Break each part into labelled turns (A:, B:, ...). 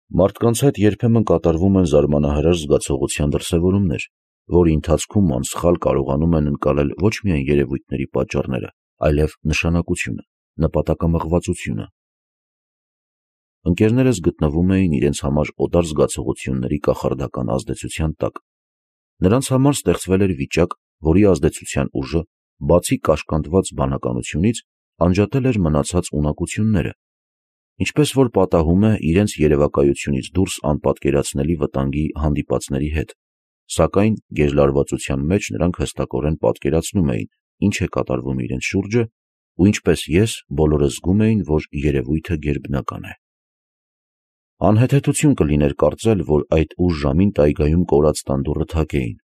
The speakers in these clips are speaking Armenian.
A: Մարդկանց հետ երբեմն կատարվում են զարմանահրաշ զգացողության դրսևորումներ, որի ընթացքում անսխալ կարողանում են ընկալել ոչ միայն երևույթների պատճառները, այլև նշանակությունը, նպատակամղվածությունը։ Ընկերներս գտնվում էին իրենց համար օտար զգացողությունների կախարդական ազդեցության տակ։ Նրանց համար ստեղծվել էր վիճակ, որի ազդեցության ուժը, բացի կաշկանդված բանականությունից, անջատել էր մնացած ունակությունները, ինչպես որ պատահում է իրենց երևակայությունից դուրս անպատկերացնելի վտանգի հանդիպածների հետ, սակայն գեժլարվածության մեջ նրանք հստակորեն պատկերացնում էին, ինչ է կատարվում իրենց շուրջը, ու ինչպես ես, բոլորը զգում էին, որ երևույթը գերբնական է։ Անհեթեթություն կլիներ կարծել, որ այդ ուշ ժամին տայգայում կորած տանդուռը թակ էին։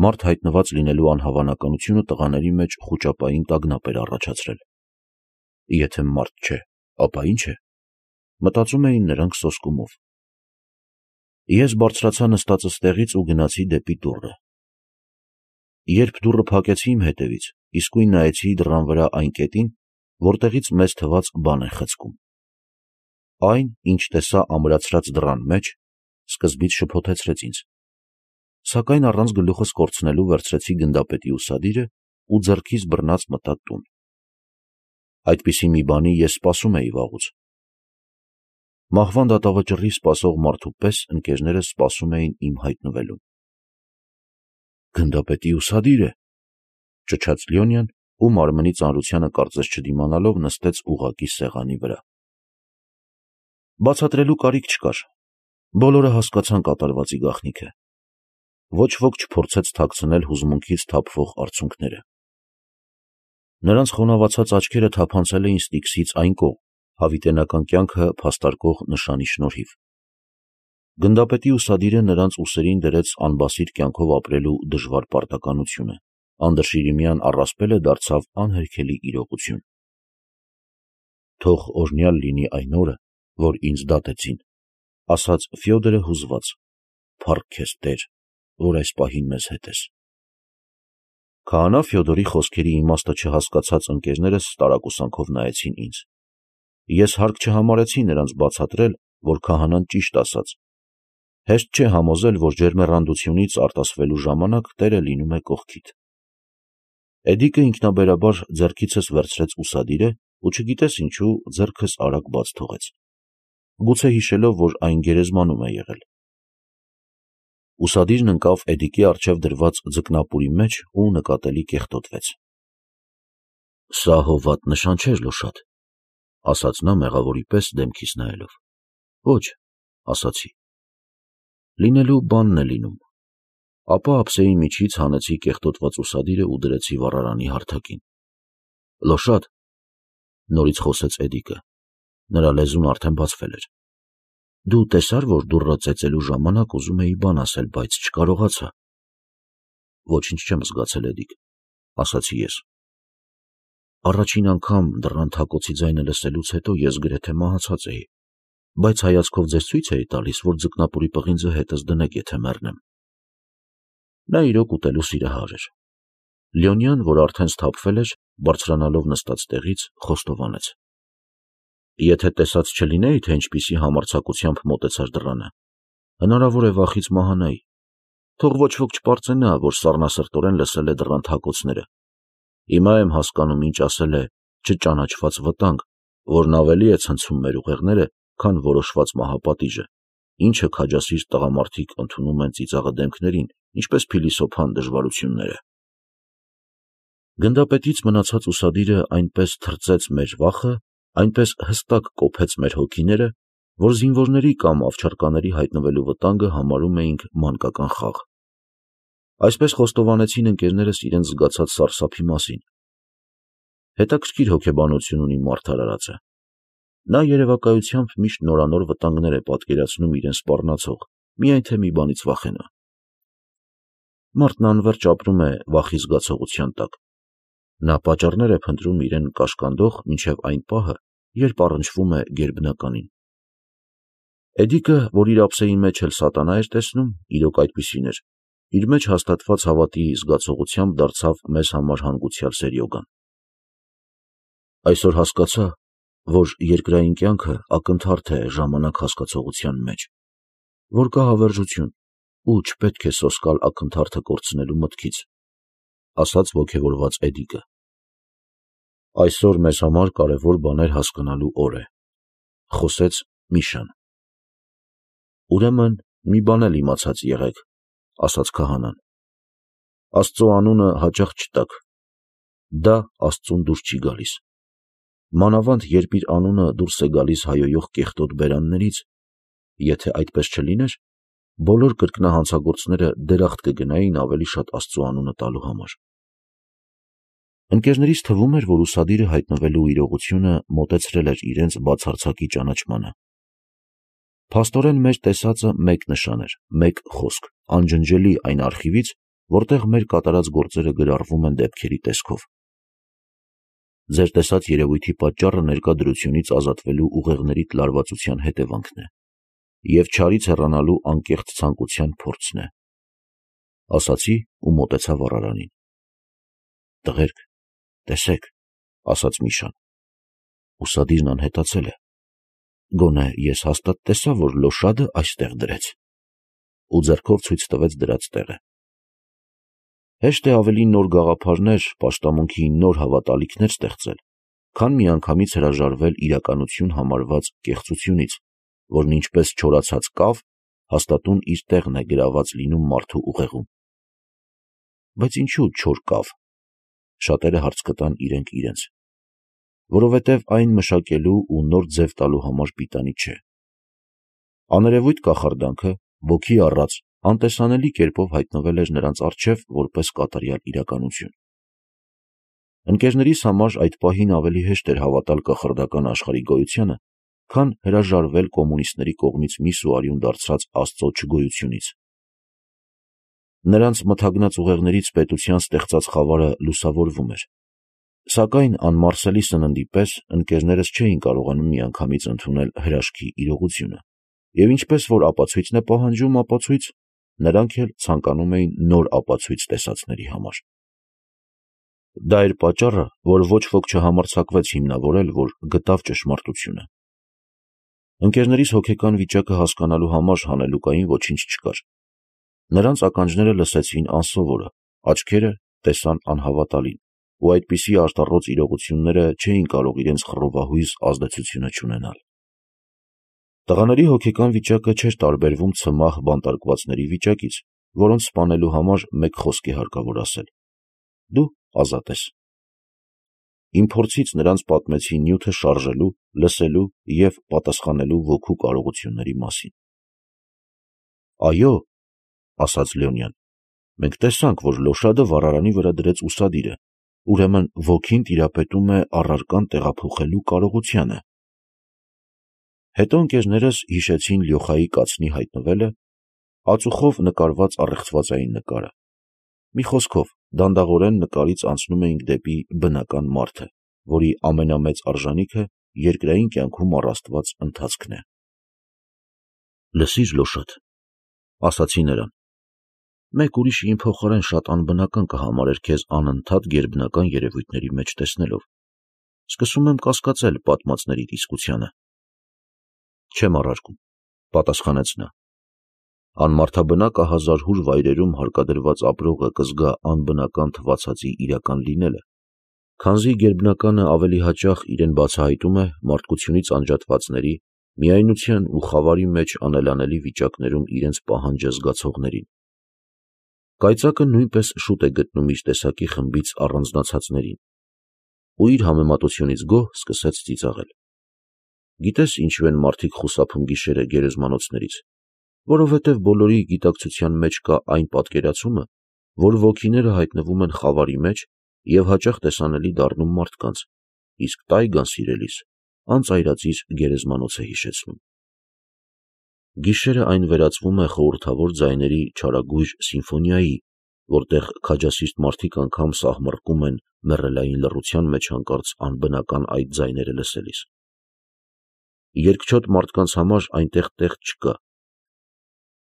A: Մարդ հայտնված լինելու անհավանականությունը տղաների մեջ խուճապային տագնապ էր առաջացրել։ Եթե մարդ չէ, ապա ի՞նչ է, մտածում էին նրանք սոսկումով։ Ես բարձրացա նստածս տեղից ու գնացի դեպի դուռը։ Երբ դուռը փակեցի իմ հետևից, իսկույն նայեցի դռան վրա այն կետին, որտեղից մեզ թվաց բան է խցկում։ Այն, ինչ տեսա ամրացրած դռան մեջ, սկզբից շփոթեցրեց ինձ, սակայն առանց գլուխս կորցնելու վերցրեցի գնդապետի ուսադիրը ու ձեռքիս բռնած մտա տուն։ Այդպիսի մի բանի ես սպասում էի վաղուց։ Մահվան դատավճռի սպասող մարդու պես ընկերներս սպասում էին իմ հայտնվելուն։ Գնդապետի ուսադիր է, ճչաց Լյոնյան ու մարմնի ծանրությանը կարծես չդիմանալով նստեց ուղղակի սեղանի վրա։ Բացատրելու կարիք չկար, բոլորը հասկացան կատարվածի գաղտնիքը։ Ոչ ոք չփորձեց թաքցնել հուզմունքից թափվող արցունքները։ Նրանց խոնավացած աչքերը թափանցել էին Ստիգսից այն կողմ, հավիտենական կյանքը փաստարկող նշանի շնորհիվ։ Գնդապետի ուսադիրը նրանց ուսերին դրեց անբասիր կյանքով ապրելու դժվար պարտականությունը, անդրշիրիմյան առասպելը դարձավ անհերքելի իրողություն։ Թող օրհնյալ լինի այն օրը, որ ինձ դատեցին, ասաց Ֆյոդորը հուզված, փառք քեզ Տեր, որ այս պահին մեզ հետ ես։ Քահանա Ֆյոդորի խոսքերի իմաստը չհասկացած ընկերներս տարակուսանքով նայեցին ինձ։ Ես հարկ չհամարեցի նրանց բացատրել, որ քահանան ճիշտ ասաց։ Հեշտ չէ համոզել, որ ջերմեռանդությունից արտասվելու ժամանակ Տերը լինում է կողքիդ։ Էդիկը ինքնաբերաբար ձեռքիցս վերցրեց ուսադիրը ու չգիտես ինչու ձեռքս արագ բաց թողեց, գուցե հիշելով, որ այն գերեզմանում է եղել։ Ուսադիրն ընկավ Էդիկի առջև դրված ձկնապուրի մեջ ու նկատելի կեղտոտվեց։ Սա հովատ նշան չէր, Լոշատ, ասաց նա մեղավորի պես դեմքիս նայելով։ Ոչ, ասացի։ Լինելու բանն է լինում։ Ապա ափսեի միջից հանեցի կեղտոտված ուսադիրը ու դրեցի վառարանի հարթակին։ Լոշատ, նորից խոսեց Էդիկը, նրա լեզուն արդեն բացվել էր։ Դու տեսար, որ դուռը ծեծելու ժամանակ ուզում էի բան ասել, բայց չկարողացա։ Ոչինչ չեմ զգացել, Էդիկ, ասացի ես։ Առաջին անգամ դռան թակոցի ձայնը լսելուց հետո ես գրեթե մահացած էի, բայց հայացքով ձեզ ցույց էի տալիս, որ ձկնապուրի պղինձը հետս դնեք, եթե մեռնեմ։ Նա իրոք ուտելու սիրահար էր։ Լյոնյան, որ արդեն սթափվել էր, բարձրանալով նստած տեղից, խոստովանեց. Եթե տեսած չլինեի, թե ինչպիսի համարձակությամբ մոտեցար դռանը, հնարավոր է վախից մահանայի։ Թող ոչ ոք չպարծենա, որ սառնասրտորեն լսել է դռան թակոցները։ Հիմա եմ հասկանում, ինչ ասել է չճանաչված վտանգ, որն ավելի է ցնցում մեր ուղեղները, քան որոշված մահապատիժը, ինչը քաջասիրտ տղամարդիկ ընդունում են ծիծաղը դեմքներին, ինչպես փիլիսոփան դժվարությունները։ Գնդապետից մնացած ուսադիրը այնպես թրծեց մեր վախը, այնպես հստակ կոփեց մեր հոգիները, որ զինվորների կամ ավչարկաների հայտնվելու վտանգը համարում էինք մանկական խաղ։ Այսպես խոստովանեցին ընկերներս իրենց զգացած սարսափի մասին։ Հետաքրքիր հոգեբանություն ունի մարդ արարածը։ Նա երևակայությամբ միշտ նորանոր վտանգներ է պատկերացնում իրեն սպառնացող, միայն թե մի բանից վախենա։ Մարդն անվերջ ապրում է վախի զգացողության տակ։ Նա պատճառներ է փնտրում իրեն կաշկանդող մինչև այն պահը, երբ առնչվում է գերբնականին։ Էդիկը, որ իր ափսեի մեջ էլ սատանա էր տեսնում, իրոք այդպիսին էր, իր մեջ հաստատված հավատի զգացողությամբ դարձավ մեզ համար հանգուցյալ սերյոգան։ Այսօր հասկացա, որ երկրային կյանքը ակնթարթ է ժամանակ հասկացողության մեջ, որ կա հավերժություն ու չպետք է սոսկալ ակնթարթը կորցնելու մտքից, ասաց ոգևորված Էդիկը։ Այսօր մեզ համար կարևոր բաներ հասկանալու օր է, խոսեց Միշան։ Ուրեմն մի բան էլ իմացած եղեք, ասաց քահանան. Աստծո անունը հաճախ չտաք, դա Աստծուն դուրս չի գալիս։ Մանավանդ երբ իր անունը դուրս է գալիս հայոյող կեղտոտ բերաններից, եթե այդպես չլիներ, բոլոր կրկնահանցագործները դերախտ կգնային ավելի շատ Աստծո անունը տալու համար։ Ընկերներից թվում էր, որ ուսադիրը հայտնվելու իրողությունը մոտեցրել էր իրենց բացարձակի ճանաչմանը։ Փաստորեն մեր տեսածը մեկ նշան էր, մեկ խոսք, անջնջելի այն արխիվից, որտեղ մեր կատարած գործերը գրառվում են դեպքերի տեսքով։ Ձեր տեսած երևույթի պատճառը ներկա դրությունից ազատվելու ուղեղների լարվածության հետևանքն է և չարից հեռանալու անկեղծ ցանկության փորձն է, ասացի ու մոտեցա վառարանին։ Տղերք, տեսեք, ասաց Միշան, ուսադիրն անհետացել է, գոնե ես հաստատ տեսա, որ լոշադը այստեղ դրեց, ու ձեռքով ցույց տվեց դրած տեղը։ Հեշտ է ավելի նոր գաղափարներ, պաշտամունքի նոր հավատալիքներ ստեղծել, քան միանգամից հրաժարվել իրականություն համարված կեղծությունից, որն ինչպես չորացած կավ, հաստատուն իր տեղն է գրաված լինում մարդու ուղեղում։ Բայց ինչու չոր կավ, շատերը հարց կտան իրենք իրենց, որովհետև այն մշակելու ու նոր ձև տալու համար պիտանի չէ։ Աներևույթ կախարդանքը, ոգի առած, անտեսանելի կերպով հայտնվել էր նրանց առջև որպես կատարյալ իրականություն։ Ընկերներիս համար այդ պահին ավելի հեշտ էր հավատալ կախարդական աշխարհի գոյությանը, քան հրաժարվել կոմունիստների կողմից միս ու արյուն դարձրած Աստծո չգոյությունից։ Նրանց մթագնած ուղեղներից պետության ստեղծած խավարը լուսավորվում էր, սակայն անմարսելի սննդի պես ընկերներս չէին կարողանում միանգամից ընդունել հրաշքի իրողությունը, և ինչպես որ ապացույցն է պահանջում ապացույց, նրանք էլ ցանկանում էին նոր ապացույց տեսածների համար։ Դա էր պատճառը, որ ոչ ոք չհամարձակվեց հիմնավորել, որ գտավ ճշմարտությունը։ Ընկերներիս հոգեկան վիճակը հասկանալու համար հանելուկային ոչինչ չկար։ Նրանց ականջները լսեցին անսովորը, աչքերը տեսան անհավատալին, ու այդպիսի արտառոց իրողությունները չէին կարող իրենց խռովահույզ ազդեցությունը չունենալ։ Տղաների հոգեկան վիճակը չէր տարբերվում ցմահ բանտարկվածների վիճակից, որոնց սպանելու համար մեկ խոսք է հարկավոր ասել. դու ազատ ես։ Իմ փորձից նրանց պատմեցի նյութը շարժելու, լսելու և պատասխանելու ոգու կարողությունների մասին։ Այո, ասաց Լեոնյան, մենք տեսանք, որ լոշադը վառարանի վրա դրեց ուսադիրը, ուրեմն ոգին տիրապետում է առարկան տեղափոխելու կարողությանը։ Հետո ընկերներս հիշեցին Լյոխայի կացնի հայտնվելը, ածուխով նկարված առեղծվածային նկարը։ Մի խոսքով, դանդաղորեն նկարից անցնում էինք դեպի բնական մարդը, որի ամենամեծ արժանիքը երկրային կյանքում առաստված ընթացքն է։ Լսիր, լոշադ, ասացի նրան, մեկ ուրիշը իմ փոխարեն շատ անբնական կհամարեր քեզ անընդհատ գերբնական երևույթների մեջ տեսնելով։ Սկսում եմ կասկածել պատմածներիդ իսկությանը։ Չեմ առարկում, պատասխանեց նա։ Անմարդաբնակ ահազարհուր վայրերում հարկադրված ապրողը կզգա անբնական թվացածի իրական լինելը, քանզի գերբնականը ավելի հաճախ իրեն բացահայտում է մարդկությունից անջատվածների, միայնության ու խավարի մեջ անելանելի վիճակներում իրենց պահանջը զգացողներին։ Կայծակը նույնպես շուտ է գտնում իր տեսակի խմբից առանձնացածներին, ու իր համեմատությունից գոհ սկսեց ծիծաղել։ Գիտես ինչու են մարդիկ խուսափում գիշերը գերեզմանոցներից, որովհետև բոլորի գիտակցության մեջ կա այն պատկերացումը, որ ոգիները հայտնվում են խավարի մեջ և հաճախ տեսանելի դառնում մարդկանց, իսկ տայգան սիրելիս անծայրածիր գերեզմանոց է հիշեցնում։ Գիշերը այն վերածվում է խորհրդավոր ձայների չարագույժ սիմֆոնիայի, որտեղ քաջասիրտ մարդիկ անգամ սահմռկում են մեռելային լռության մեջ հանկարծ անբնական այդ ձայները լսելիս։ Երկչոտ մարդկանց համար այնտեղ տեղ չկա։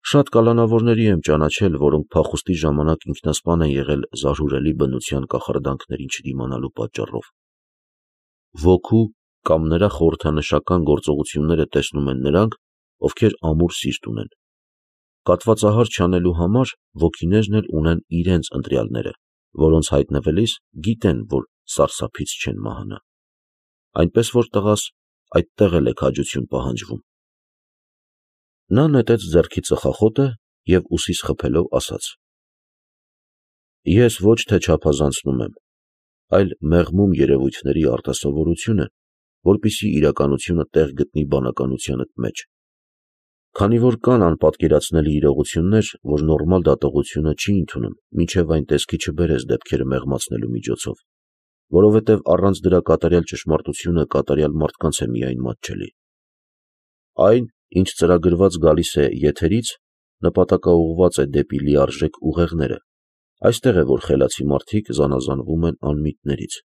A: Շատ կալանավորների եմ ճանաչել, որոնք փախուստի ժամանակ ինքնասպան են եղել զարհուրելի բնության կախարդանքներին չդիմանալու պատճառով։ Ոգու կամ նրա խորհրդանշական գործողությունները տեսնում են նրանք, ովքեր ամուր սիրտ ունեն։ Կատվածահար չանելու համար ոգիներն էլ ունեն իրենց ընտրյալները, որոնց հայտնվելիս գիտեն, որ սարսափից չեն մահանա։ Այնպես որ տղաս, այդտեղ էլ է քաջություն պահանջվում։ Նա նետեց ձեռքի ծխախոտը և ուսիս խփելով ասաց. Ես ոչ թե չափազանցնում եմ, այլ մեղմում երևույթների արտասովորությունը, որպեսզի իրականությունը տեղ գտնի բանականությանդ մեջ։ Քանի որ կան անպատկերացնելի իրողություններ, որ նորմալ դատողությունը չի ընդունում, մինչև այն տեսքի չբերես դեպքերը մեղմացնելու միջոցով, որովհետև առանց դրա կատարյալ ճշմարտությունը կատարյալ մարդկանց է միայն մատչելի։ Այն, ինչ ծրագրված գալիս է եթերից, նպատակաուղղված է դեպի լիարժեք ուղեղները, այստեղ է, որ խելացի մարդիկ զանազանվում են անմիտներից։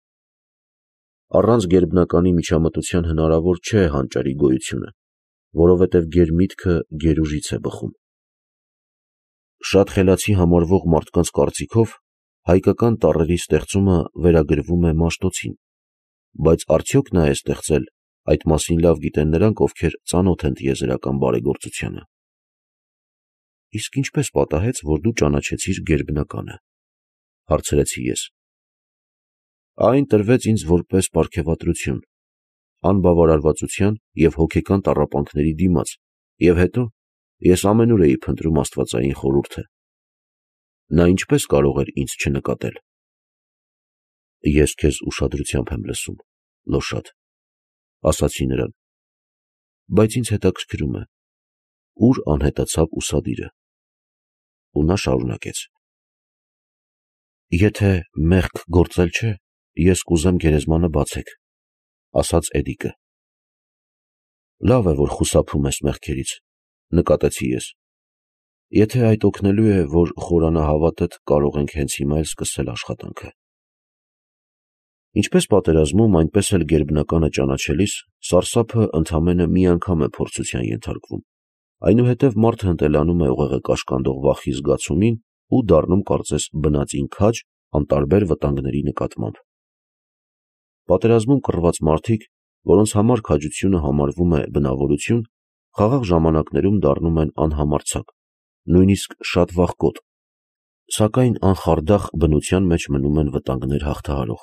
A: Առանց գերբնականի միջամտության հնարավոր չէ հանճարի գոյությունը, որովհետև գերմիտքը գերուժից է բխում։ Շատ խելացի համարվող մարդկանց կարծիքով հայկական տառերի ստեղծումը վերագրվում է Մաշտոցին, բայց արդյոք նա է ստեղծել, այդ մասին լավ գիտեն նրանք, ովքեր ծանոթ են տիեզերական բարեգործությանը։ Իսկ ինչպես պատահեց, որ դու ճանաչեցիր գերբնականը, հարցրեցի ես։ Այն տրվեց ինձ որպես պարգևատրություն, անբավարարվածության և հոգեկան տառապանքների դիմաց, և հետո ես ամենուր էի փնտրում աստվածային խորհուրդը։ Նա ինչպես կարող էր ինձ չնկատել։ Ես քեզ ուշադրությամբ եմ լսում, Լոշատ, ասացի նրան, բայց ինձ հետաքրքրում է, ուր անհետացավ ուսադիրը։ Ու նա շարունակեց. Եթե մեղք գործել չէ, ես կուզեմ գերեզմանը բացեք, ասաց Էդիկը։ Լավ է, որ խուսափում ես մեղքերից, նկատեցի ես։ Եթե այդ օգնելու է, որ խորանա հավատդ, կարող ենք հենց հիմա էլ սկսել աշխատանքը։ Ինչպես պատերազմում, այնպես էլ գերբնականը ճանաչելիս, սարսափը ընդամենը մի անգամ է փորձության ենթարկվում, այնուհետև մարդը ընտելանում է ուղեղը կաշկանդող վախի զգացումին ու դառնում կարծես բնածին քաջ անտարբեր վտանգների նկատմամբ։ Պատերազմում կռված մարդիկ, որոնց համար քաջությունը համարվում է բնավորություն, խաղաղ ժամանակներում դառնում են անհամարձակ, նույնիսկ շատ վախկոտ, սակայն անխարդախ բնության մեջ մնում են վտանգներ հաղթահարող։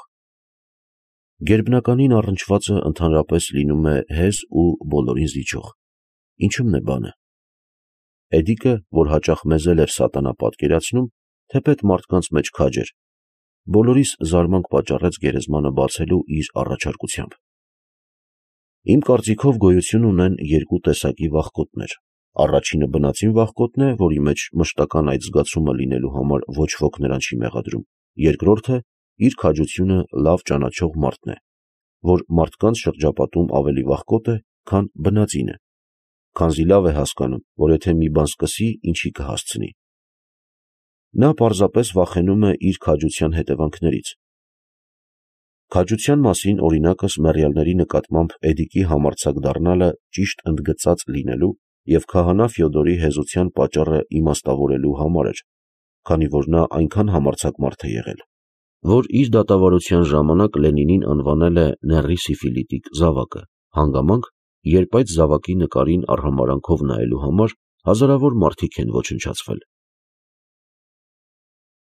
A: Գերբնականին առնչվածը ընդհանրապես լինում է հեզ ու բոլորին զիջող։ Ինչու՞մն է բանը։ Էդիկը, որ հաճախ մեզ էլ էր սատանա պատկերացնում, թեպետ մարդկանց մեջ քաջ էր, բոլորիս զարմանք պատճառեց գերեզմանը բացելու իր առաջարկությամբ։ Իմ կարծիքով գոյություն ունեն երկու տեսակի վախկոտներ։ Առաջինը բնածին վախկոտն է, որի մեջ մշտական այդ զգացումը լինելու համար ոչ ոք նրան չի մեղադրում։ Երկրորդը իր քաջությունը լավ ճանաչող մարդն է, որ մարդկանց շրջապատում ավելի վախկոտ է, քան բնածինը, քանզի լավ է հասկանում, որ եթե մի բան սկսի, ինչի կհասցնի։ Նա պարզապես վախենում է իր քաջության հետևանքներից։ Քաջության մասին օրինակս մեռյալների նկատմամբ Էդիկի համարձակ դառնալը ճիշտ ընդգծած լինելու և քահանա Ֆյոդորի հեզության պատճառը իմաստավորելու համար էր, քանի որ նա այնքան համարձակ մարդ է եղել, որ իր դատավարության ժամանակ Լենինին անվանել է նեռի սիֆիլիտիկ զավակը, հանգամանք, երբ այդ զավակի նկարին արհամարհանքով նայելու համար հազարավոր մարդիկ են ոչնչացվել։